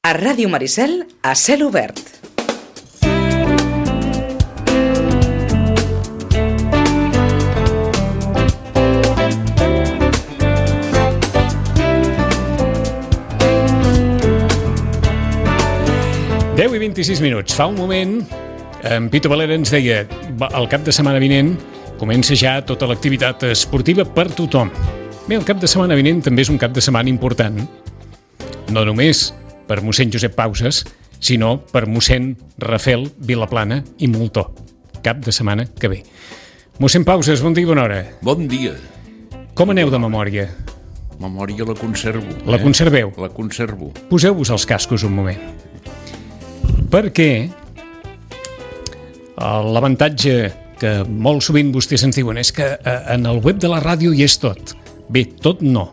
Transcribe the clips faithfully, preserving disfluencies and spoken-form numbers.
A Ràdio Maricel, a cel obert. deu i vint-i-sis minuts. Fa un moment, en Pito Valera ens deia el cap de setmana vinent comença ja tota l'activitat esportiva per tothom. Bé, el cap de setmana vinent també és un cap de setmana important, no només per mossèn Josep Pauses, sinó per mossèn Rafel Vilaplana i Moltó. Cap de setmana que ve. Mossèn Pauses, bon dia i bona hora. Bon dia. Com aneu de memòria? Memòria la conservo. La eh? conserveu? La conservo. Poseu-vos els cascos un moment. Perquè l'avantatge que molt sovint vostès ens diuen és que en el web de la ràdio hi és tot. Bé, tot no.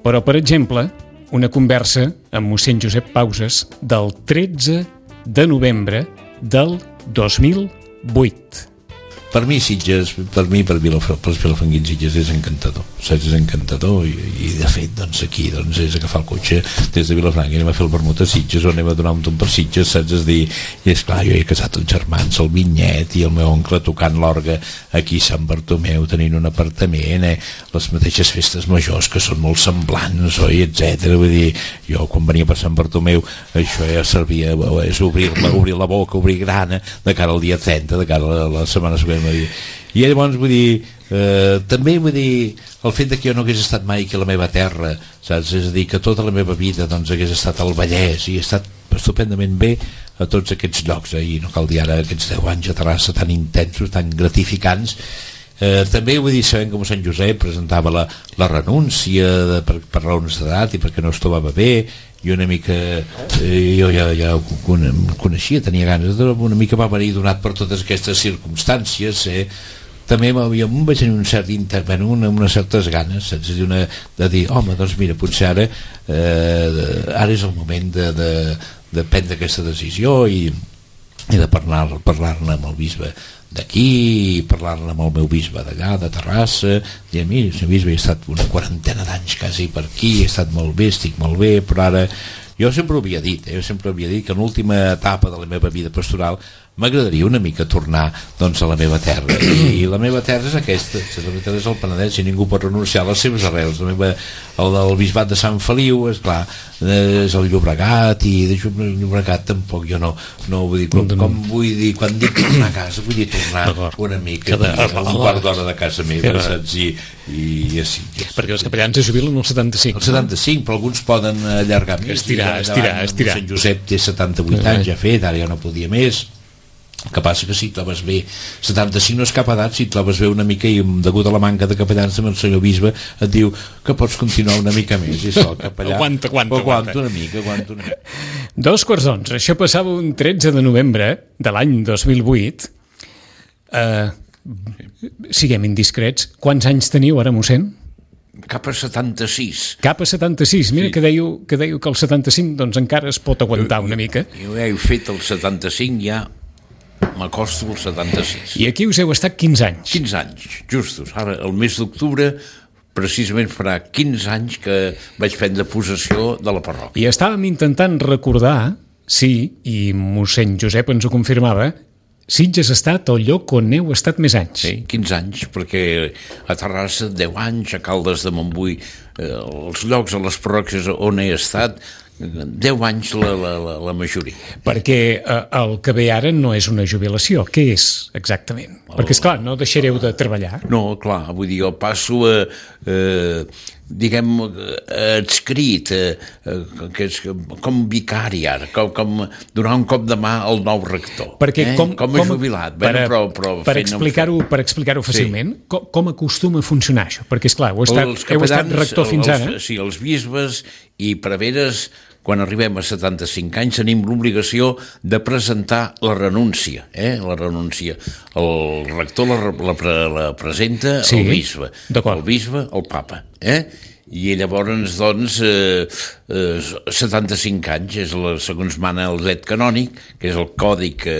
Però, per exemple, una conversa amb mossèn Josep Pauses del tretze de novembre del dos mil vuit. Per mi Sitges, per mi per pels vilafanguins Sitges és encantador, saps? És encantador i, i de fet doncs aquí doncs és agafar el cotxe des de Vilafranca i anem a fer el vermut a Sitges o anem a donar un tomb per Sitges, saps? És dir, i és clar, jo he casat els germans, el Vinyet i el meu oncle tocant l'orgue aquí a Sant Bartomeu, tenint un apartament, eh? Les mateixes festes majors que són molt semblants, oi, etcètera. Vull dir, jo quan venia per Sant Bartomeu això ja servia, és obrir-la, obrir la boca, obrir grana de cara al dia trenta, de cara a la setmana següent. I llavors vull dir eh, també vull dir el fet de que jo no hagués estat mai aquí a la meva terra, saps? És a dir, que tota la meva vida doncs hagués estat al Vallès i he estat estupendament bé a tots aquests llocs, eh? I no cal dir ara aquests deu anys a Terrassa tan intensos, tan gratificants. Eh, també vull dir, sabent que mossèn Josep presentava la, la renúncia de, per, per raons d'edat i perquè no es trobava bé i una mica eh, jo ja, ja ho coneixia, tenia ganes de, una mica va venir donat per totes aquestes circumstàncies, eh? També em vaig tenir un cert intervenir, una, unes certes ganes, saps? De, una, de dir, home, doncs mira, potser ara eh, ara és el moment de, de, de prendre aquesta decisió i, i de parlar, parlar-ne amb el bisbe d'aquí, parlar-ne amb el meu bisbe d'allà, de Terrassa, i a mi, el meu bisbe, he estat una quarantena d'anys quasi per aquí, he estat molt bé, estic molt bé, però ara jo sempre ho havia dit, eh? jo sempre havia dit que en l'última etapa de la meva vida pastoral m'agradaria una mica tornar doncs, a la meva terra, i, i la meva terra és aquesta, la meva terra és el Penedès i ningú pot renunciar a les seves arrels. La meva, el del bisbat de Sant Feliu és clar, és el Llobregat, i de Llobregat tampoc jo no, no vull dir, com, com vull dir, quan dic tornar a casa vull dir tornar una mica a un quart d'hora de casa meva, saps? I, i així, perquè els capellans es jubilen al setanta-cinc, el setanta-cinc, però alguns poden allargar més, estirar, estirar, estirar. Sant Josep té setanta-vuit anys ja fet, ara ja no podia més. El que passa que si trobes bé setanta-cinc no és cap edat, si trobes bé una mica i degut a la manca de capellans el senyor bisbe et diu que pots continuar una mica més i això, el capellà aguanta, aguanta, aguanta una mica, aguanta una mica. Dos quarts d'onze, això passava un tretze de novembre de l'any dos mil vuit. uh, siguem indiscrets, quants anys teniu ara, mossèn? Cap a setanta-sis. Cap a setanta-sis, mira, sí. que, dèieu, que dèieu que el setanta-cinc doncs encara es pot aguantar una mica. Jo, jo he fet el setanta-cinc, ja m'acosto al setanta-sis. I aquí us heu estat quinze anys. quinze anys, justos. Ara, el mes d'octubre, precisament farà quinze anys que vaig prendre possessió de la parròquia. I estàvem intentant recordar, sí, i mossèn Josep ens ho confirmava, Sitges ha estat el lloc on heu estat més anys. Sí, quinze anys, perquè a Terrassa deu anys, a Caldes de Montbui, eh, els llocs, a les parròquies on he estat, deu anys la, la, la, la majoria. Perquè eh, el que ve ara no és una jubilació. Què és exactament? El... Perquè, esclar, no deixareu de treballar. No, clar, vull dir, jo passo a, eh, diguem, adscrit, eh, que és com vicari ara, com, com donar un cop de mà al nou rector. Perquè eh? com, com a com, jubilat. Per, bueno, però, però per explicar-ho per explicar-ho fàcilment, sí. com, com acostuma a funcionar això? Perquè, esclar, heu estat, heu estat rector fins els, ara. Sí, els bisbes i preveres, quan arribem a setanta-cinc anys, tenim l'obligació de presentar la renúncia. Eh? La renúncia. El rector la, la, la presenta sí, el bisbe. El bisbe, el papa. Eh? I llavors, doncs, eh, eh, setanta-cinc anys, és la, segons mana el dret canònic, que és el codi que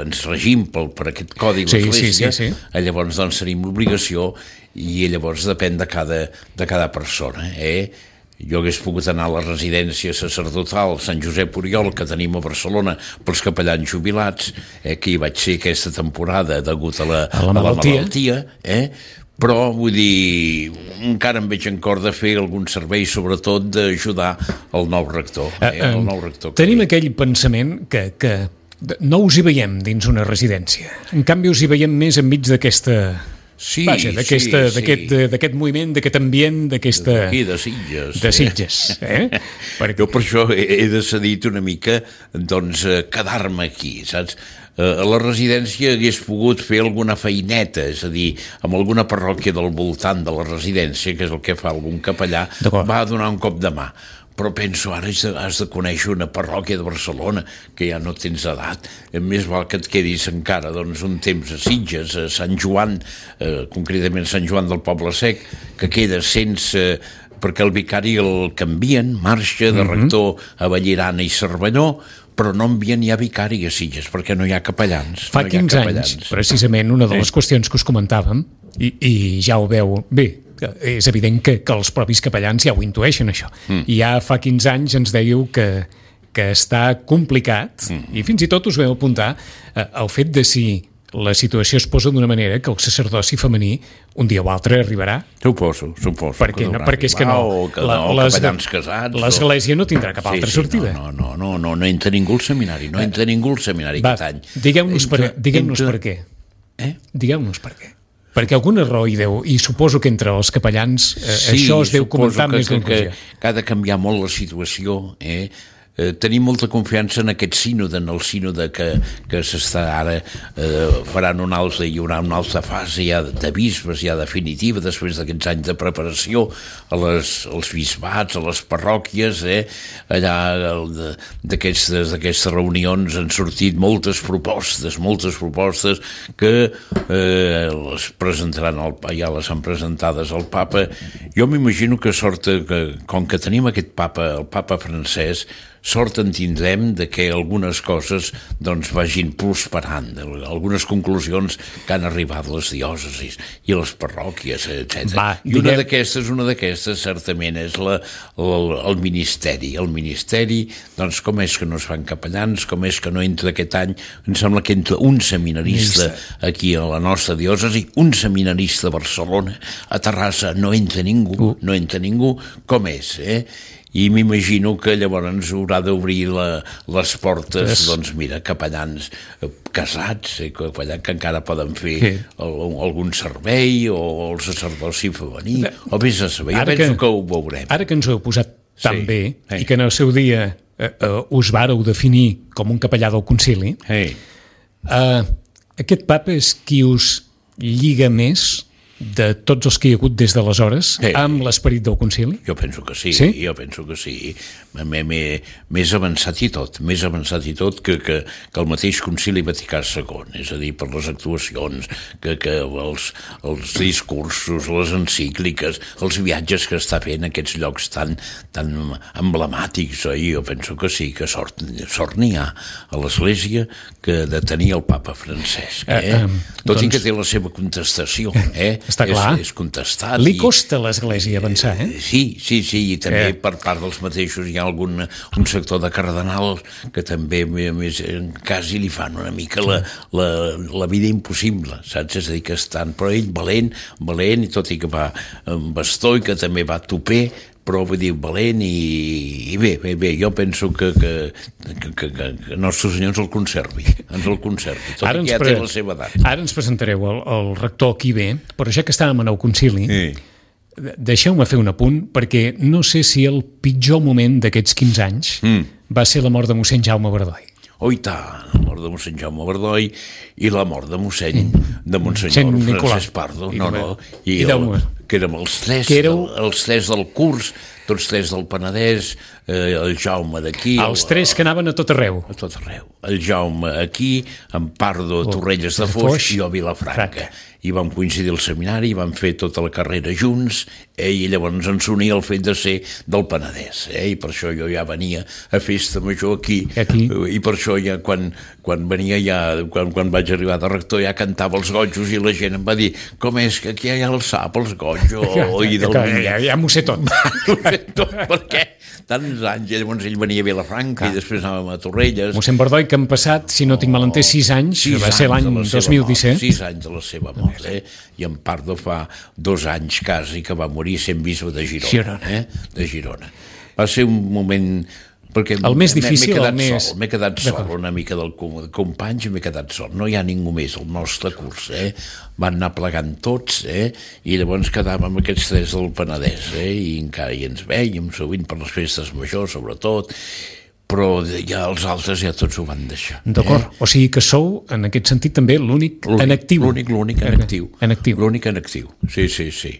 ens regim per, per aquest codi de sí, l'Església, sí, sí, sí. llavors doncs tenim l'obligació i llavors depèn de cada, de cada persona, eh? jo hagués pogut anar a la residència sacerdotal Sant Josep Oriol, que tenim a Barcelona, pels capellans jubilats, eh, que hi vaig ser aquesta temporada degut a la, a la malaltia, a la malaltia eh? Però, vull dir, encara em veig en cor de fer algun servei, sobretot d'ajudar el nou rector. Eh? Eh, El nou rector tenim aquell pensament que, que no us hi veiem dins una residència. En canvi, us hi veiem més enmig d'aquesta... Sí, Vaja, d'aquesta, sí, d'aquest, sí. d'aquest moviment, d'aquest ambient, d'aquesta... D'aquí, de Sitges. De Sitges, eh? Perquè... Jo per això he, he decidit una mica, doncs, quedar-me aquí, saps? A la residència hagués pogut fer alguna feineta, és a dir, amb alguna parròquia del voltant de la residència, que és el que fa algun capellà, va donar un cop de mà. Però penso, ara has de, has de conèixer una parròquia de Barcelona, que ja no tens edat, més val que et quedis encara doncs, un temps a Sitges, a Sant Joan, eh, concretament Sant Joan del Poble Sec, que queda sense... perquè el vicari el canvien, marxa de rector a Vallirana i Cervelló, però no envien ja vicari a Sitges, perquè no hi ha capellans. Fa no quinze capellans. anys, precisament, una de les qüestions que us comentàvem, i, i ja ho veu bé, és evident que, que els propis capellans ja ho intueixen, això. Mm. I ja fa quinze anys ens dèieu que, que està complicat, mm. i fins i tot us veu apuntar eh, el fet de si la situació es posa d'una manera que el sacerdoci femení un dia o altre arribarà. Suposo, suposo. Perquè, no, perquè és que no, o que la, no les, capellans casats. L'Església no tindrà cap sí, altra sí, sortida. No, no, no, no, no entra ningú al seminari, no entra ningú al seminari Va, aquest any. Digueu-nos per, digueu entra... per què. Eh? Digueu-nos per què. Perquè alguna raó hi deu, i suposo que entre els capellans eh, sí, això es deu comentar que, més d'una ocasió. Que, que ha de canviar molt la situació, eh? Eh, tenim molta confiança en aquest sínode, en el sínode que, que s'està ara, eh, faran un altre, hi haurà una altra fase ja de bisbes, ja definitiva, després d'aquests anys de preparació, a les, als bisbats, a les parròquies, eh, allà d'aquestes reunions han sortit moltes propostes, moltes propostes que eh, les presentaran, al, ja les han presentades al papa. Jo m'imagino que sort, que, com que tenim aquest papa, el papa francès, sort en tindrem de que algunes coses doncs vagin prosperant, algunes conclusions que han arribat les diòcesis i les parròquies, etcètera. I una d'aquestes, una d'aquestes certament és la, el, el ministeri. El ministeri, doncs com és que no es fan capellans, com és que no entra aquest any, em sembla que entra un seminarista aquí a la nostra diòcesi, un seminarista a Barcelona, a Terrassa no entra ningú, no entra ningú, com és, eh? I m'imagino que llavors haurà d'obrir la, les portes, sí. Doncs mira, capellans casats, eh, capellans que encara poden fer sí. el, algun servei o el sacerdoci femení, o vés a saber, jo penso que, que ho veurem. Ara que ens ho heu posat tan sí. bé, sí. I que en el seu dia eh, eh, us vàreu definir com un capellà del concili, sí. eh, aquest papa és qui us lliga més de tots els que hi ha hagut des d'aleshores sí. Amb l'esperit del concili? Jo penso que sí, sí? jo penso que sí. Més avançat i tot, més avançat i tot que, que, que el mateix concili Vaticà segon, és a dir, per les actuacions, que, que els, els discursos, les encícliques, els viatges que està fent a aquests llocs tan, tan emblemàtics, eh? Jo penso que sí, que sort, sort n'hi ha a l'Església que de tenir el papa Francesc, eh? Eh, eh, tot doncs... i que té la seva contestació, eh? Està clar. És, és contestat. Li costa a l'Església avançar, eh? Sí, sí, sí, i també eh. per part dels mateixos hi ha algun un sector de cardenals que també més, quasi li fan una mica la, la, la vida impossible, saps? És a dir, que estan, però ell valent, valent, i tot i que va amb bastó i que també va toper, però vull dir, valent i, i bé, bé, bé, jo penso que, que, que, que, que Nostre Senyor ens el conservi, ens el conservi, tot ara i que ja pre... té la seva edat. Ara ens presentareu el, el rector aquí bé, però ja que estàvem en el concili, sí. Deixeu-me fer un apunt, perquè no sé si el pitjor moment d'aquests quinze anys mm. va ser la mort de mossèn Jaume Bardoi. Oh, i tant, la mort de mossèn Jaume Bardoi i la mort de mossèn de Monsenyor Francesc Pardo, no, no, i, i el, que érem els tres, éreu... els tres del curs, tots tres del Penedès, eh, el Jaume d'aquí... Els tres que anaven a tot arreu. A tot arreu. El Jaume aquí, en Pardo, Torrelles de Foix, i jo a Vilafranca. I vam coincidir al seminari, i vam fer tota la carrera junts, eh, i llavors ens unia el fet de ser del Penedès, eh, i per això jo ja venia a festa major aquí, aquí. i per això ja quan, quan venia ja, quan, quan vaig arribar de rector ja cantava els gotjos i la gent em va dir, com és que aquí hi ha el sap, els gotjos, i del ja, ja, ja m'ho sé tot. M'ho sé tot, perquè tants anys, i llavors ell venia a Vilafranca, ah. i després anàvem a Torrelles. Mossèn Bordoi, que han passat, si no tinc malentès, sis anys, sis va ser l'any dos mil disset. Sis anys de la seva mort. Eh? I en Pardo fa dos anys quasi que va morir sent bisbe de Girona, Girona. Eh? de Girona. Va ser un moment perquè el més difícil, m'he quedat el més... sol, m'he quedat sol una mica del companys i m'he quedat sol, no hi ha ningú més al nostre curs, eh? Van anar plegant tots, eh? I llavors quedàvem aquests tres del Penedès, eh? I encara hi ens veiem sovint per les festes majors sobretot, però ja els altres ja tots ho van deixar. D'acord, eh? O sigui que sou, en aquest sentit, també l'únic en actiu. L'únic, l'únic en actiu. En actiu. L'únic en actiu, sí, sí, sí.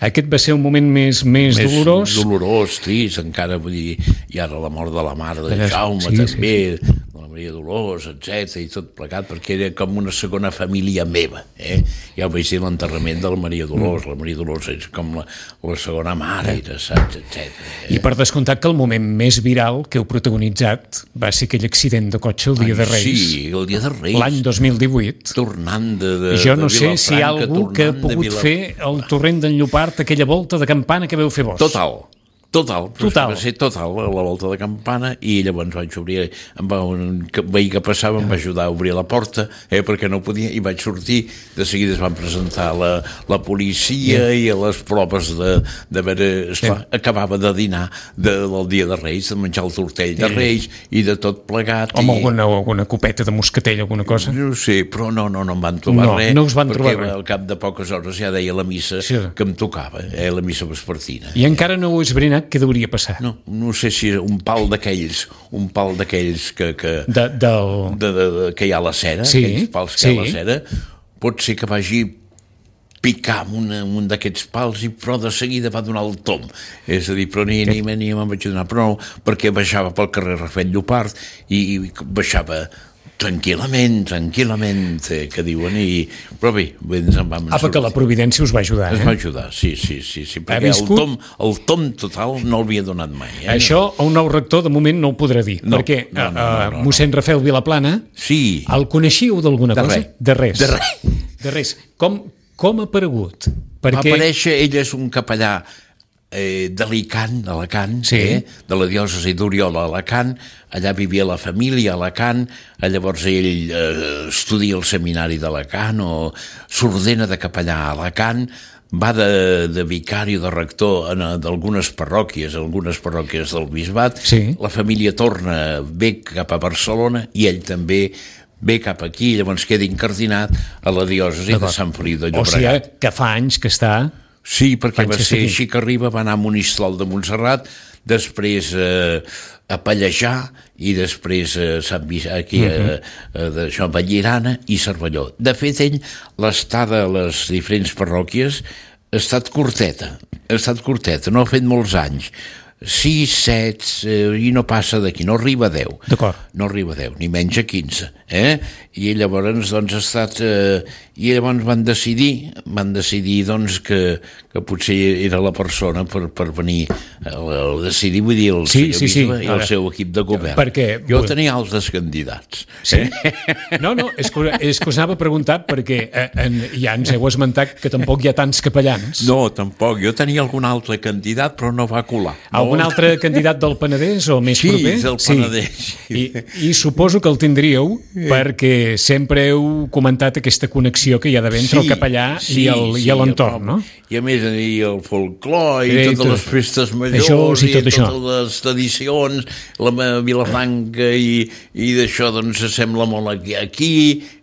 Aquest va ser un moment més, més, més dolorós? Dolorós, trist, encara, vull dir, i ara la mort de la mare de Jaume, sí, també, sí, sí. de la Maria Dolors, etcètera, i tot plegat, perquè era com una segona família meva, eh? Ja ho vaig dir l'enterrament de la Maria Dolors, mm. la Maria Dolors és com la, la segona mare, eh? saps, etcètera. Eh? I per descomptat que el moment més viral que heu protagonitzat va ser aquell accident de cotxe el dia Ai, de Reis. Sí, el dia de Reis. L'any dos mil divuit. Tornant de, de Jo no de sé si hi ha algú que ha pogut fer el torrent d'en Llopart, aquella volta de campana que veu fer vos. Total, total, total. Va ser total la volta de campana i llavors vaig obrir, em va, un veí que passava em va ajudar a obrir la porta, eh, perquè no podia, i vaig sortir, de seguida es van presentar la, la policia yeah. i a les proves de, de veure, esclar, yeah. acabava de dinar de, del dia de Reis, de menjar el tortell de Reis yeah. i de tot plegat. Home, i... alguna, alguna copeta de moscatell, alguna cosa? No sé, però no, no, no em van trobar no, res, no us van perquè trobar al cap de poques hores ja deia la missa sí. que em tocava, eh, la missa vespertina. I encara no ho has brinat què hauria passar? No, no sé si era un pal d'aquells, un pal d'aquells que, que, de, del... de, de, de, que hi ha a la cera, sí, aquells pals que sí. hi ha a la cera, pot ser que vagi picar amb una, un d'aquests pals i però de seguida va donar el tom, és a dir, però ni, ni, ni me'n vaig donar, però no, perquè baixava pel carrer Rafel Llopart i, i baixava tranquil·lament, tranquil·lament, eh, que diuen, i... però bé, ens en vam... Ah, perquè la providència us va ajudar, eh? Ens va ajudar, sí, sí, sí, sí perquè el tom, el tom total no l'havia donat mai. Eh? Això a un nou rector de moment no ho podrà dir, no, perquè no, no, no, no, no. mossèn Rafael Vilaplana, sí. el coneixíeu d'alguna de cosa? Res. De res. De res. De res. Com, com ha aparegut? Perquè... Va aparèixer, ell és un capellà eh, d'Alacant, d'Alacant, sí. eh, de la diòcesi d'Oriola a Alacant, allà vivia la família a Alacant, llavors ell eh, estudia al seminari d'Alacant o s'ordena de capellà a Alacant, va de, de vicari o de rector en d'algunes parròquies, algunes parròquies del bisbat, sí. la família torna, ve cap a Barcelona i ell també ve cap aquí, llavors queda incardinat a la diòcesi de Sant Feliu de Llobregat. O sigui que fa anys que està... Sí, perquè va ser així que arriba, va anar a Monistrol de Montserrat, després eh, a Pallejà i després a Sant Vic- aquí uh-huh. a, a, a Vallirana i Cervelló. De fet, ell, l'estada a les diferents parròquies ha estat curteta, ha estat curteta, no ha fet molts anys. sis, set, eh, i no passa d'aquí, no arriba a deu. D'acord. No arriba a deu, ni menys a quinze. Eh? I llavors, doncs, ha estat... Eh, I llavors van decidir, van decidir, doncs, que, que potser era la persona per, per venir a, a decidir, vull dir, el sí, senyor sí, bisbe sí. i el seu equip de govern. Perquè... Jo tenia altres candidats. Sí? No, no, és que, és que us anava a preguntar perquè eh, en, ja ens heu esmentat que tampoc hi ha tants capellans. No, tampoc. Jo tenia algun altre candidat, però no va colar. Algun altre candidat del Penedès o més sí, proper? Sí, del Penedès. Sí. I, I suposo que el tindríeu sí. perquè sempre heu comentat aquesta connexió que hi ha d'haver entre sí, el capellà sí, i, sí, i l'entorn, no? I a més i el folclor i, I totes tot, les festes majors això, sí, i tot totes això. les tradicions, la Vilafranca i, i d'això doncs sembla molt aquí, aquí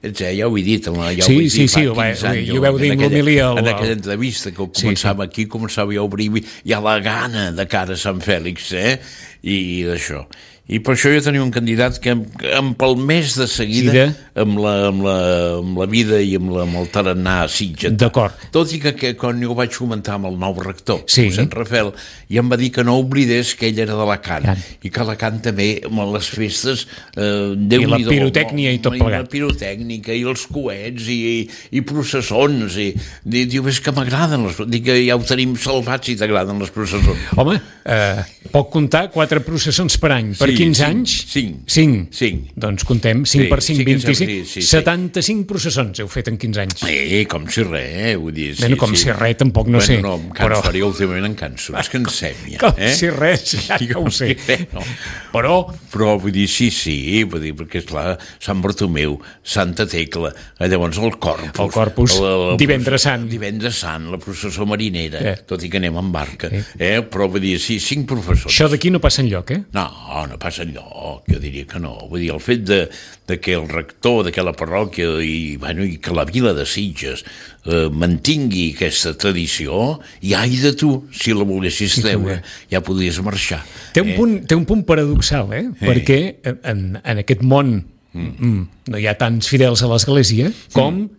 etcètera. Ja ho he dit, ja ho sí, he dit sí, fa sí, quinze anys. I ho veu dir en l'homilia. En aquella entrevista que començava sí, sí. aquí, començava ja a obrir ja la gana de cara a Sant Fèlix, eh? I, i d'això. I per això jo tenia un candidat que em, em palmés de seguida amb la, amb, la, amb la vida i amb, la, amb el tarannà Sitges. D'acord. Tot i que, que quan jo ho vaig comentar amb el nou rector, sí. Sant Rafael, i em va dir que no oblidés que ell era d'Alacant, Can. i que Alacant també, amb les festes... Eh, I la pirotècnia i tot plegat. I la pirotècnica, i els coets, i, i, i processons, i, i diu, és que m'agraden les... Dic que ja ho tenim salvats si t'agraden les processons. Home, eh, pot comptar quatre processons per any, per sí, quinze cinc, anys? cinc. cinc. cinc. Doncs contem, cinc sí, per cinc, sí vint-i-cinc, sí, sí, sí. setanta-cinc processons heu fet en quinze anys. Eh, com si res, eh? Vull dir, sí, bueno, com sí. si res, tampoc no bueno, sé. No, em canso, però... ara jo últimament em canso, és que ensem ja. Com eh? si res, ja que ho sé. No. Però... Però vull dir, sí, sí, vull dir, perquè esclar, Sant Bartomeu, Santa Tecla, eh, llavors el Corpus... El Corpus, el, el, el, divendres sant. Divendres sant, la processó marinera, eh. tot i que anem en barca, eh. eh? Però vull dir, sí, cinc professors. Això d'aquí no passa enlloc, eh? No, no passa enlloc, jo diria que no. Vull dir, el fet de, de que el rector d'aquella parròquia i, bueno, i que la vila de Sitges eh, mantingui aquesta tradició, i ai de tu, si la volguessis sí, treure, ja podries marxar. Té un, eh? punt, té un punt paradoxal, eh? eh. Perquè en, en aquest món mm. no hi ha tants fidels a l'Església com... Mm.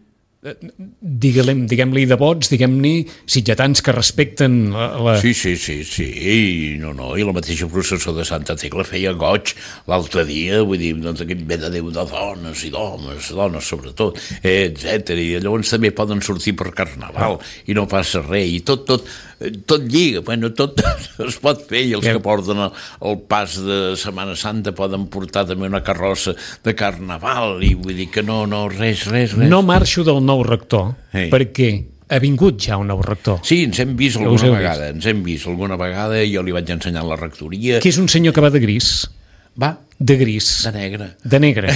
Diguem-li diguem de vots, diguem-ne sitgetans que respecten la, la... Sí, sí, sí, sí, I, no, no, i la mateixa processó de Santa Tecla feia goig l'altre dia, vull dir, doncs aquest ve de Déu de dones i d'homes, dones sobretot, eh, etcètera. I llavors també poden sortir per Carnaval ah. i no passa res, i tot, tot, tot lliga, bueno, tot es pot fer, i els que porten el, el pas de Setmana Santa poden portar també una carrossa de Carnaval, i vull dir que no, no, res, res, res. No marxo del nou rector, hey. perquè ha vingut ja un nou rector. Sí, ens hem vist alguna vegada, vist. ens hem vist alguna vegada, jo li vaig ensenyar la rectoria. Que és un senyor que va de gris. Va? De gris. De negre. De negre.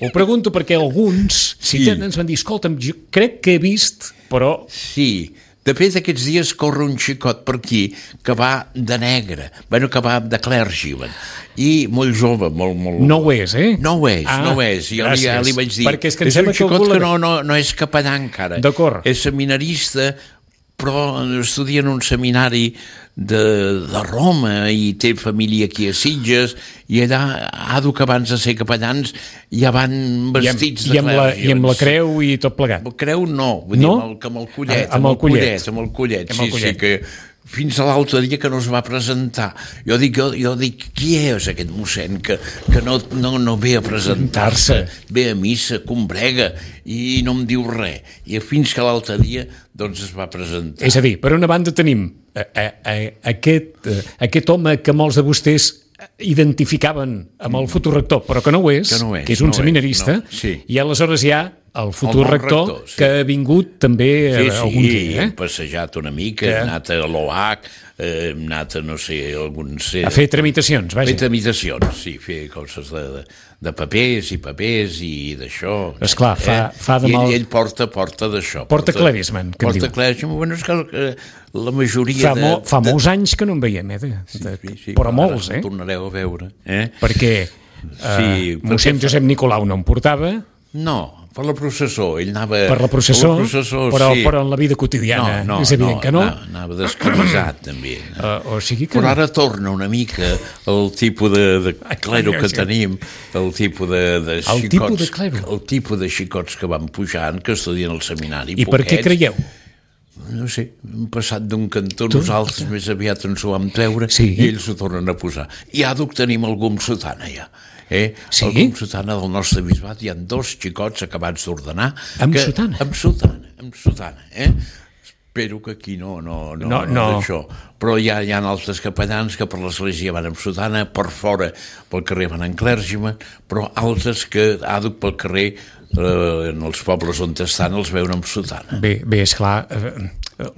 Ho pregunto perquè alguns sí. si ens van dir, escolta'm, jo crec que he vist, però... Sí, de fet, aquests dies corre un xicot per aquí que va de negre, bueno, que va de clergyman, i molt jove, molt... molt... No ho és, eh? No ho és, ah, no ho és. Jo li, ja li vaig dir, perquè és, que és un xicot que, que no, no, no és capellà encara. D'acord. És seminarista, però estudia en un seminari de, de Roma i té família aquí a Sitges, i allà, ado que abans de ser capellans ja van vestits I amb, de clergyman. I amb la creu i tot plegat. Creu no, vull no? dir, amb el, amb el collet, ah, amb, el collet. amb el collet, amb el sí, collet. sí, que... Fins a l'altre dia que no es va presentar. Jo dic, jo, jo dic qui és aquest mossèn que, que no, no, no ve a presentar-se, ve a missa, combrega, i no em diu res. I fins que l'altre dia doncs es va presentar. És a dir, per una banda tenim a, a, a, aquest, a, aquest home que molts de vostès identificaven amb el futur rector, però que no ho és, que, no és, que és un no seminarista, és, no. sí. i aleshores hi ha el futur el rector, rector sí. que ha vingut també sí, sí, algun dia. Eh? Hem passejat una mica, que... hem anat a l'O H, eh, hem anat a, no sé, alguns... Eh, a fer tramitacions, vaja. Fer tramitacions, sí, fer coses de, de, de papers i papers i d'això. Esclar, fa, eh? fa de I mal... ell, ell porta, porta d'això. Porta, porta clerisman, que porta clerisman, bueno, és que eh, la majoria fa de... Mo, fa de... molts anys que no en veiem, eh? De, sí, de, sí, sí, però molts, eh? Tornareu a veure, eh? Perquè sí, uh, mossèn fa... Josep Nicolau no en portava. No, per la processó, ell anava... Per la processó, per la processó però, sí. però en la vida quotidiana no, no, és evident no, que no. no anava descamisat, també. Uh, o sigui que... Però ara torna una mica el tipus de, de clero que tenim, el tipus de, de el xicots... tipus de clero? El tipus de xicots que van pujant, que estudien al seminari. I poquets. Per què creieu? No sé, hem passat d'un cantó, tu? Nosaltres més aviat ens ho vam treure sí. i ells ho tornen a posar. I ara tenim el gum sotana, ja. Eh? Sí? El gum sotana del nostre bisbat, hi ha dos xicots acabats d'ordenar. Amb que, sotana? Amb sotana, amb sotana, eh? Espero que aquí no, no, no, no, no. d'això. Però hi ha, hi ha altres capellans que per l'església van amb sotana, per fora pel carrer van en clergyman, però altres que àduc pel carrer eh, en els pobles on estan els veuen amb sotana. Bé, bé, esclar, eh,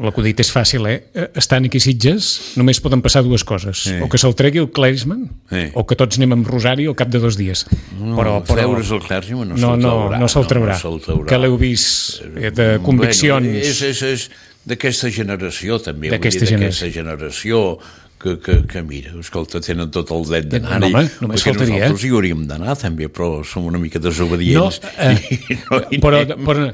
l'acudit és fàcil, eh? Estan aquí Sitges, només poden passar dues coses. Eh. O que se'l tregui el clergyman, eh. o que tots anem amb rosari al cap de dos dies. No, però, però... treure's el clergyman no, no se'l traurà. No, no se'l traurà. No, no traurà. Que l'heu vist eh, de conviccions... Bueno, és, és, és d'aquesta generació, també. D'aquesta generació. generació que, que, que mira, escolta, tenen tot el dret d'anar-hi, no, només perquè faltaria, nosaltres hi hauríem d'anar també, però som una mica desobedients. No, eh, i no hi però, però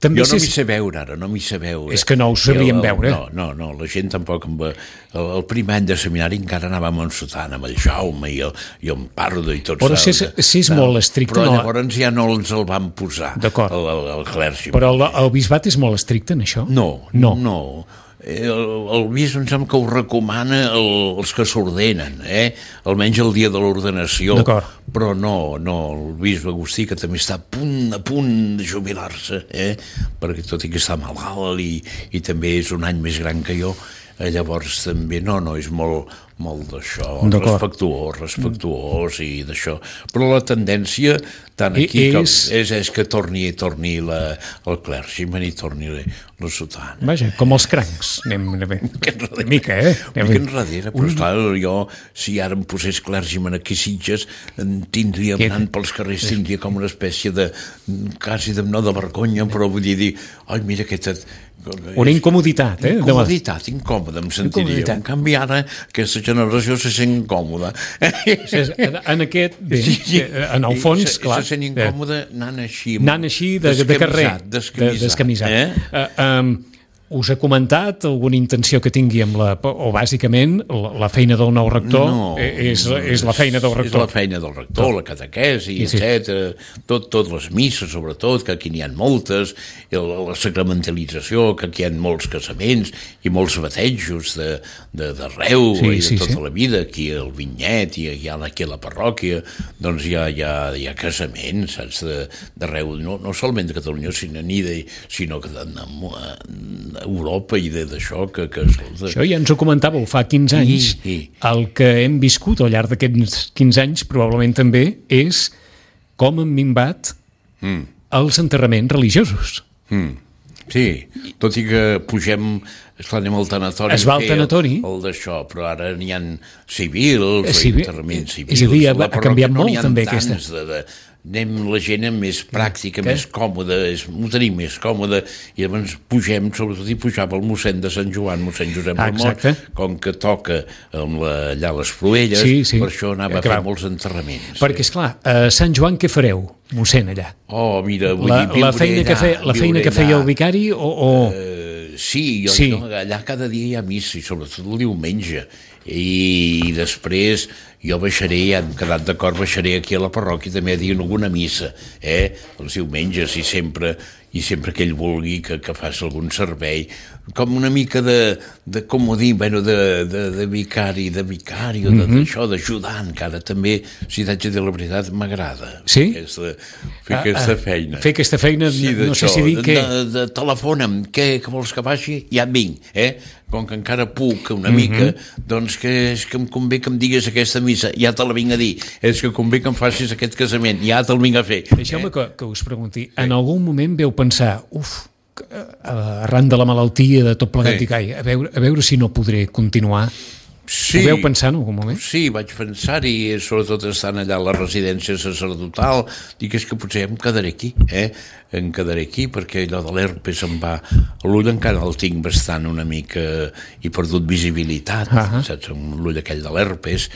També jo no és... m'hi sé veure ara, no m'hi sé veure. És que no ho sabríem el, veure. No, no, no, la gent tampoc... Amb, el, el primer any de seminari encara anàvem amb Sotana, amb el Jaume i el, i el Pardo i tots. Però si és, si és molt estricte... Però no... llavors ja no els el van posar, D'acord. el, el, el clergy. Però el, el bisbat és molt estricte en això? No, no. no. El, el bisbe em sembla que ho recomana el, els que s'ordenen, eh? Almenys el dia de l'ordenació. D'acord. Però no, no, el bisbe Agustí, que també està a punt, a punt de jubilar-se, eh? Perquè tot i que està malalt i, i també és un any més gran que jo, eh, llavors també no, no, és molt, molt d'això, respectuós, respectuós i d'això. Però la tendència, tant aquí, I, és... Com, és, és que torni, torni la, el clergyman i torni la, la sotana. Vaja, com els crancs, anem una mica, eh? Una mica enrere, però esclar, jo, si ara em posés clergyman aquí a Sitges, tindria, anant pels carrers, tindria com una espècie de, quasi de, no de vergonya, però vull dir, ai, mira aquesta... Una incomoditat, eh? Incomoditat, incòmoda, em sentiria. En canvi, ara, aquesta generació se sent incòmoda. En aquest, bé, en el fons, clar... Se sent incòmoda anant així. Anant així de, de carrer. Descamisat. Eh? Uh, um, us ha comentat alguna intenció que tingui amb la... o bàsicament la, la feina del nou rector no, és, és la feina del rector. És la feina del rector, tot. La catequesi, sí, etcètera. Tot, tot les misses, sobretot, que aquí n'hi ha moltes, la sacramentalització, que aquí hi ha molts casaments i molts batejos d'arreu de, de, i de sí, tota sí. La vida, aquí al Vinyet i hi ha aquí a la parròquia, doncs hi ha, hi ha, hi ha casaments, saps, d'arreu, no, no solament de Catalunya, sinó, de, sinó que de, de Europa i d'això que, que... Això ja ens ho comentàveu fa quinze anys. I, i. El que hem viscut al llarg d'aquests quinze anys probablement també és com han minvat mm. els enterraments religiosos. Mm. Sí, tot i que pugem, esclar, anem al tanatori. Es va al tanatori. El, el d'això, però ara n'hi ha civils, eh, civil, enterraments civils. És a dir, ha canviat no molt també aquesta. De, de, anem la gent més pràctica, Què? més còmoda, és, ho tenim més còmoda, i llavors pugem, sobretot hi pujava el mossèn de Sant Joan, mossèn Josep ah, Ramon, com que toca amb la, allà les Proelles, sí, sí. Per això anava a fer molts enterraments. Perquè, esclar, a Sant Joan què fareu, mossèn, allà? Oh, mira, vull la, dir, la feina, allà, que, fe, la feina que feia el vicari o... o... Uh, sí, jo, sí. No, allà cada dia hi ha missa, i sobretot el diumenge, i després jo baixaré, ja hem quedat d'acord, baixaré aquí a la parròquia també a dir alguna missa, eh? Els diumenges, i sempre, i sempre que ell vulgui que, que faci algun servei, com una mica de, de com ho dir, bueno, de, de, de vicari, de vicari, o de, mm-hmm. d'això, d'ajudant, que ara també, si t'haig de dir la veritat, m'agrada. Sí? Aquesta, fer ah, aquesta ah, feina. Fer aquesta feina, sí, no sé si dir de, què... De, de, telefona'm, què, què vols que vagi? Ja vinc, eh? Com que encara puc una mica, mm-hmm. doncs que és que em convé que em digues aquesta missa, ja te la vinc a dir, és que convé que em facis aquest casament, ja te'l vinc a fer. Deixeu-me eh? que, que us pregunti, sí. En algun moment veu pensar, uf, arran de la malaltia, de tot plegat, sí. Dic, ai, a veure, a veure si no podré continuar. Sí, ho veu pensar en algun moment? Sí, vaig pensar-hi, sobretot estant allà a la residència sacerdotal, dic, és que potser em quedaré aquí, eh? Em quedaré aquí, perquè allò de l'herpes em va... L'ull encara el tinc bastant una mica... He perdut visibilitat, uh-huh. Saps? L'ull aquell de l'herpes,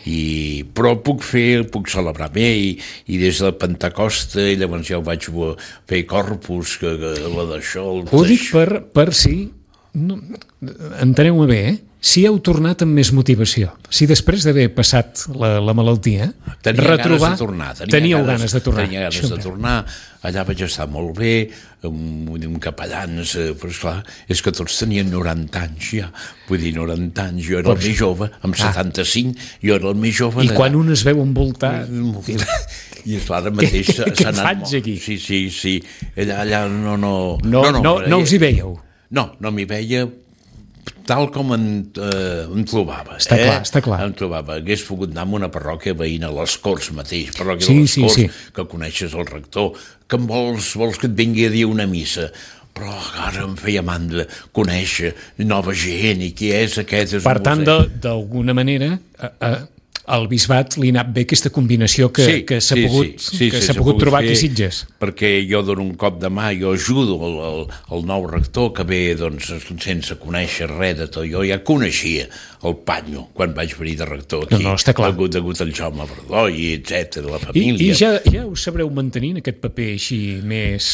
i... però puc fer, puc celebrar bé, i, i des de Pentecosta, i llavors ja ho vaig fer Corpus, que, que la d'això... Ho dic per, per si... No, enteneu-me bé, eh? Si heu tornat amb més motivació, si després d'haver passat la, la malaltia, tenia retrobar, ganes de tornar, tenia teníeu ganes, ganes de tornar. Tenia ganes de tornar, allà vaig estar molt bé, amb, amb capellans, però esclar, és que tots tenien noranta anys ja, vull dir, noranta anys, jo era el més jove, amb setanta-cinc, jo era el més jove. I quan un es veu envoltat... I esclar, ara mateix s'ha anat... Què faig aquí? Sí, sí, sí, allà, allà no, no... No, no, no, no us hi veieu? No, no m'hi veia tal com en, eh, em trobava. Està eh? clar, està clar. Em trobava. Hagués pogut anar a una parròquia veïna, a les Corts mateix, parròquia sí, de les sí, Corts, sí. Que coneixes el rector, que em vols, vols que et vingui a dir una missa, però ara em feia mandra conèixer nova gent, i qui és aquest? És per tant, d'alguna manera... A, a... al bisbat li ha anat bé aquesta combinació que, sí, que s'ha sí, pogut, sí, sí, que sí, s'ha pogut trobar fer, aquí a Sitges. Perquè jo dono un cop de mà, jo ajudo el, el, el nou rector que ve doncs, sense conèixer res de tot. Jo ja coneixia el Panyo quan vaig venir de rector aquí. No, no, està clar. Degut, degut al Jaume Verdó i etcètera, la família. I, i ja, ja us sabreu mantenir en aquest paper així més...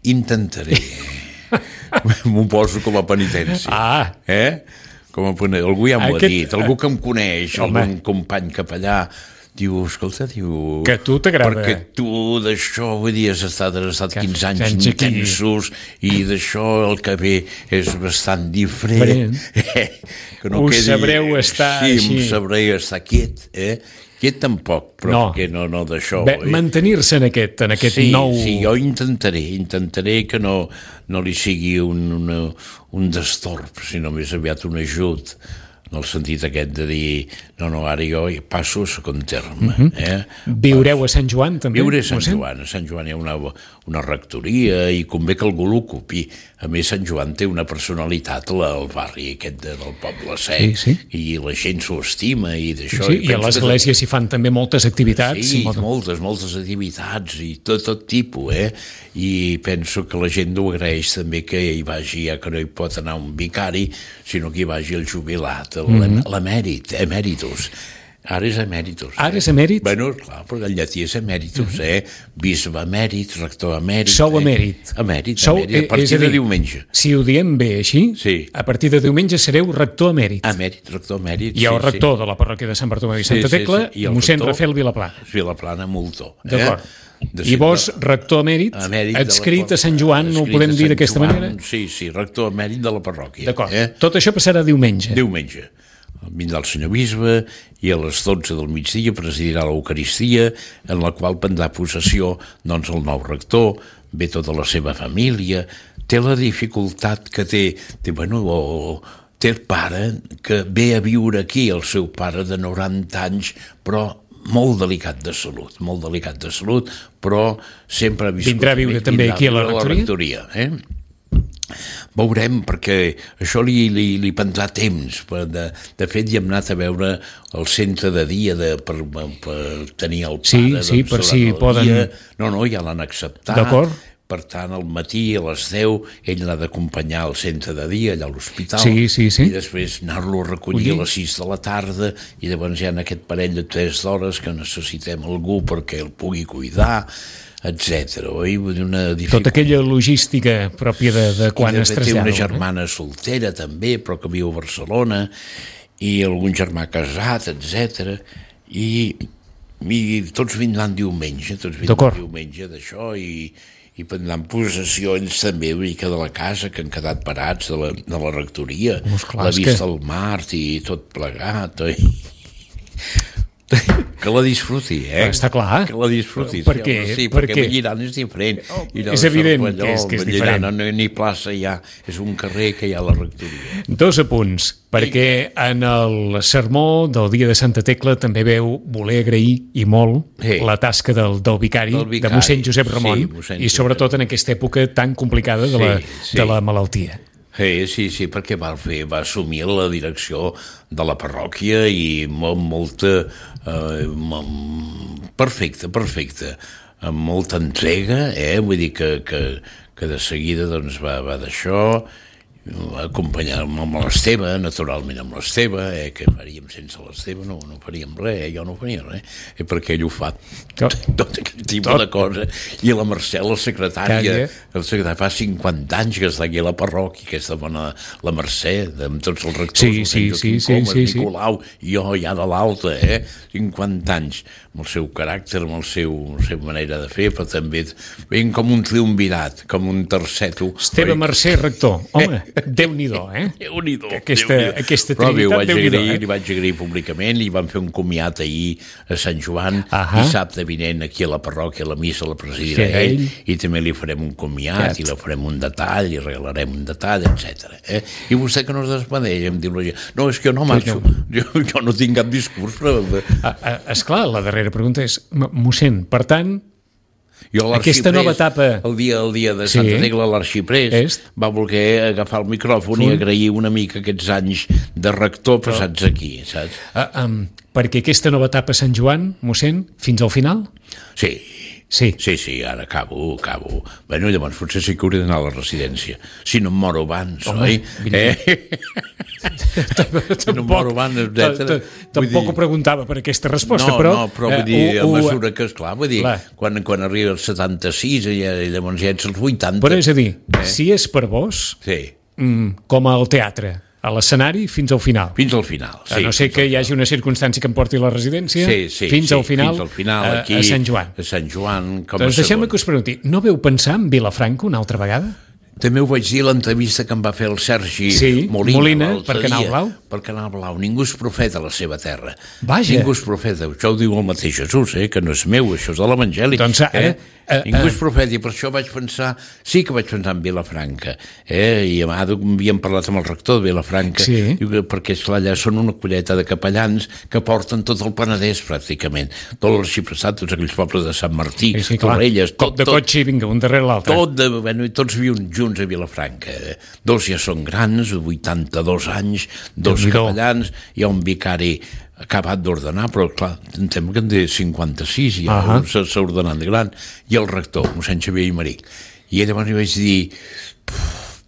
Intentaré. M'ho poso com a penitència. Ah! Eh? Com a penitència. Algú ja m'ho Aquest... ha dit, algú que em coneix, Home. algun company capellà, diu, escolta, diu... Que a tu t'agrada. Perquè tu d'això, vull dir, has estat, has estat quinze anys anys aquí. intensos i d'això el que ve és bastant diferent. Eh? Que no Us quedi... sabreu estar sí, així. Sí, sabreu estar quiet, eh? Quiet tampoc, però No. perquè no, no d'això. Bé, eh? mantenir-se en aquest, en aquest sí, nou... Sí, jo intentaré, intentaré que no, no li sigui un, una, un destorb, sinó més aviat un ajut, en el sentit aquest de dir, no, no, ara jo passo a segon terme. Uh-huh. eh? Viureu a Sant Joan, també? Viure a Sant mossèn? Joan. A Sant Joan hi ha una, una rectoria i convé que algú l'ocupi. A més, Sant Joan té una personalitat al barri aquest de, del Poble Sec, Sí, sí. i la gent s'ho estima i d'això. Sí, I i a penso que- l'església s'hi fan també moltes activitats. Sí, molt- moltes, moltes activitats i tot, tot tipus, eh? I penso que la gent ho agraeix també que hi vagi, ja que no hi pot anar un vicari, sinó que hi vagi el jubilat, Mhm. l'emèrit, emèritus. Ara és emèritus. Ara eh? és emèrit? Bueno, clar, perquè el llatí és emèritus, eh? Bisbe emèrit, rector emèrit... Sou eh? emèrit. Emèrit, Sou, emèrit, a eh, partir és a de dir, diumenge. Si ho diem bé així, Sí. a partir de diumenge sereu rector emèrit. Emèrit, rector emèrit, Hi ha el sí, rector de la parròquia de Sant Bartomeu i Sí, Santa sí, Tecla, sí. I el mossèn rector- Rafael Vilaplana. sí. Vilaplana Moltó. Eh? D'acord. De I vos, de- rector emèrit, emèrit de la adscrit a par- Sant Joan, ho adscrit podem a dir Sant d'aquesta Joan, manera? Sí, sí, rector emèrit de la parròquia. D'acord. Eh? Tot això passarà diumenge. Diumenge. Vindrà el senyor bisbe i a les dotze del migdia presidirà l'Eucaristia, en la qual prendrà possessió doncs, el nou rector, ve tota la seva família, té la dificultat que té, té, bueno, o, té el pare que ve a viure aquí, el seu pare de noranta anys, però molt delicat de salut, molt delicat de salut, però sempre ha viscut... Vindrà a viure també aquí a la rectoria? rectoria eh? Veurem, perquè això li, li, li prendrà temps. De, de fet, hi hem anat a veure el centre de dia de, per, per tenir el pare. Sí, sí, doncs, per durant si el poden- dia. No, no, ja l'han acceptat. D'acord. Per tant, al matí a les deu ell l'ha d'acompanyar al centre de dia, allà a l'hospital, Sí, sí, sí. i després anar-lo a recollir Collir. a les sis de la tarda, i llavors hi ha aquest parell de tres hores que necessitem algú perquè el pugui cuidar, etcètera. Oi? Vull dir, una dificultat. Tota aquella logística pròpia de, de quan I es de fet té trasllada. una germana soltera també, però que viu a Barcelona, i algun germà casat, etcètera. I, i tots vindran diumenge, tots vindran D'acord. diumenge d'això, i, i prendran possessió ells també una mica de la casa, que han quedat parats de la, de la rectoria, Doncs clar, la és vista que- al mar i tot plegat. Oi? Que la disfruti, eh? Està clar. Que la disfruti. Per sí, què? home, Sí, Per perquè què? Valliran és diferent. I és evident allò, que és- que és Valliran, diferent. No, no, ni plaça hi ha, és un carrer que hi ha a la rectoria. Dos apunts, perquè en el sermó del dia de Santa Tecla també veu voler agrair i molt Sí. la tasca del, del, vicari, Del vicari, de mossèn Josep Ramon, sí, mossèn i sobretot en aquesta època tan complicada de, la, Sí, sí. de la malaltia. Sí, sí, sí, perquè va, fer, va assumir la direcció de la parròquia i molt, molta... Eh, mo- perfecte, perfecte. Amb molta entrega, eh? Vull dir que, que, que de seguida doncs, va, va d'això, acompanyar-me amb l'Esteve, naturalment amb l'Esteve, eh, que faríem sense l'Esteve, no, no faríem res, eh, jo no faria res, eh, perquè ell ho fa tot, tot aquest tipus Tot. de cosa. I la Mercè, la secretària, Calla. el secretari fa cinquanta anys que està aquí a la parròquia, aquesta bona, la Mercè, amb tots els rectors, Sí, el sí, Sant sí, Joaquim sí, Comas, sí, sí. Nicolau, i jo ja de l'alta, eh? cinquanta anys, amb el seu caràcter, amb el seu, la seva manera de fer, però també ben com un triumvirat, com un terceto. Esteve oi? Mercè, rector. Home, Déu-n'hi-do, eh? Déu-n'hi-do, Aquesta- Déu-n'hi-do. aquesta Però bé, ho trinitat, vaig Déu-n'hi-do, agrair, eh? li vaig agrair públicament, li van fer un comiat ahir a Sant Joan, Ahà. dissabte vinent aquí a la parròquia, la missa la presidirà Sí, ell, ell. i també li farem un comiat, Cat. i li farem un detall, i regalarem un detall, etcètera. Eh? I vostè que no es desmadeix, em diu la gent, no, és que jo no marxo, jo, jo no tinc cap discurs, però... Ah, ah, esclar, la darrera pregunta és, m- mossèn, per tant, Jo Aquesta l'arxiprés, nova etapa... El dia, el dia de Sí. Santa Tecla, l'arxiprés Est. va voler agafar el micròfon i Fun. agrair una mica aquests anys de rector passats aquí, saps? ah, um, perquè aquesta nova etapa a Sant Joan, mossèn, fins al final? Sí, Sí. Sí, sí, ara acabo, acabo. Bueno, llavors potser sí que hauré d'anar a la residència. Si no em moro abans, Home, oi? Eh? Si no em moro abans, etcètera. Tampoc ho preguntava per aquesta resposta, no, però... No, però vull dir, a mesura que, esclar, vull dir, quan, quan arriba als setanta-sis, i llavors ja ets als vuitanta... Però és a dir, si és per vos, com al teatre, a l'escenari fins al final. Fins al final, sí. A no ser que hi hagi una circumstància que em porti a la residència, sí, sí, fins sí, al final, fins al final aquí, a, a Sant Joan. A Sant Joan, com doncs a deixem-me segon. que us pregunti, no veu pensar en Vilafranca una altra vegada? També ho vaig dir a l'entrevista que em va fer el Sergi sí, Molina, Molina per Canal Blau. Per Canal Blau. Ningú és profeta a la seva terra. Vaja. Ningú és profeta. Això ho diu el mateix Jesús, eh? Que no és meu, això és de l'Evangeli. Doncs ara... Eh? Eh, Ningú eh, és profeta, i per això vaig pensar... Sí que vaig pensar en Vilafranca. Eh? I a havíem parlat amb el rector de Vilafranca, sí. perquè esclar, allà són una colleta de capellans que porten tot el Penedès, pràcticament. Tot l'Arxipressat, tots aquells pobles de Sant Martí, sí, sí, Torrelles... Tot, de tot, cotxe, vinga, un darrere l'altre. Tot, de, bueno, i tots viuen junts a Vilafranca. Dos ja són grans, vuitanta-dos anys, dos capellans, hi ha un vicari acabat d'ordenar, però clar, em sembla que en té cinquanta-sis, i ja uh -huh. s'ha ordenat de gran, i el rector, mossèn Xavier Imeric. I llavors li vaig dir,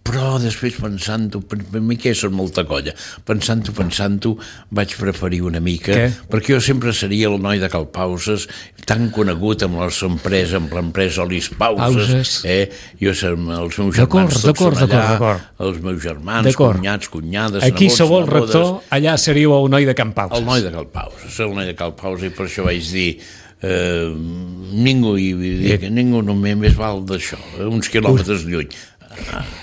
però després pensant-ho, per mi que són molta colla, pensant-ho, pensant-ho, vaig preferir una mica, Què? perquè jo sempre seria el noi de Cal Pauses, tan conegut amb les empreses, amb l'empresa Olis Pauses, Pauses. eh? Jo, els meus germans tots són allà, els meus germans, cunyats, cunyades... Aquí nebots, sou el nebodes, rector, allà seríeu el noi de Can Pauses. El noi de Cal Pauses, el noi de Cal Pauses, i per això vaig dir... Eh, ningú, i, i, ningú només més val d'això, uns quilòmetres lluny.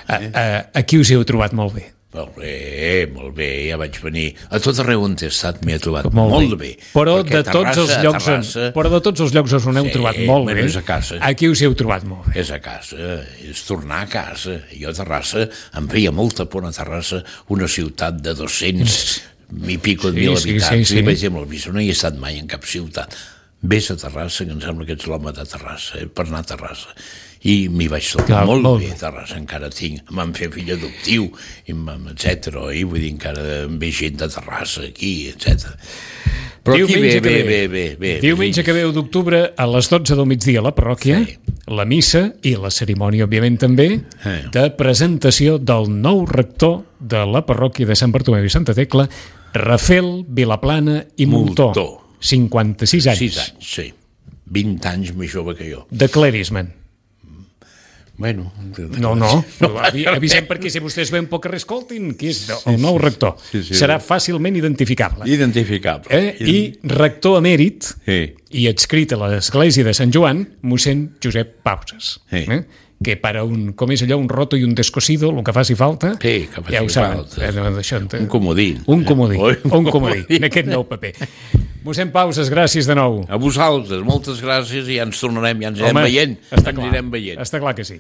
Ah, eh? Aquí us heu trobat molt bé. Molt bé, molt bé, ja vaig venir. A tot arreu on he estat m'he trobat molt, molt bé. bé. Però de, Terrassa, tots els llocs Terrassa, on, però de tots els llocs on heu sí, trobat molt bé, és a casa. Aquí us heu trobat molt bé. És a casa, és tornar a casa. Jo a Terrassa, em feia molta por a Terrassa, una ciutat de dos-cents i pico de mil sí, habitants. Sí, sí, sí. I vaig dir amb el Bisó, no hi he estat mai en cap ciutat. Vés a Terrassa, que em sembla que ets l'home de Terrassa, eh, per anar a Terrassa. I m'hi vaig tornar molt, molt bé, Terrassa, encara tinc, em van fer fill adoptiu, etcètera. I vull dir, encara em ve gent de Terrassa aquí, etcètera. Però diumenge aquí bé, bé, bé, bé. Diumenge que ve d'octubre, a les dotze del migdia a la parròquia, sí. La missa i la cerimònia, òbviament, també, eh. de presentació del nou rector de la parròquia de Sant Bartomeu i Santa Tecla, Rafel Vilaplana i Moltó. Moltó. cinquanta-sis anys. sis anys, sí. vint anys més jove que jo. Declarismen. Bueno... No, no, avisem perquè si vostès veuen poc que reescoltin, qui és el nou rector. Sí, sí, serà fàcilment identificable. Identificable. Eh? I rector emèrit sí. i adscrit a l'església de Sant Joan, mossèn Josep Pauses. Sí. Eh? Que para un, com és allò, un roto i un descosido, el que faci falta, sí, que faci ja ho saben. Falta. Un comodí. Un comodí, eh? un comodí, en aquest nou paper. Mossèn Pauses, gràcies de nou. A vosaltres, moltes gràcies, i ja ens tornarem, ja ens anirem veient. Està clar, anirem veient. està clar que sí.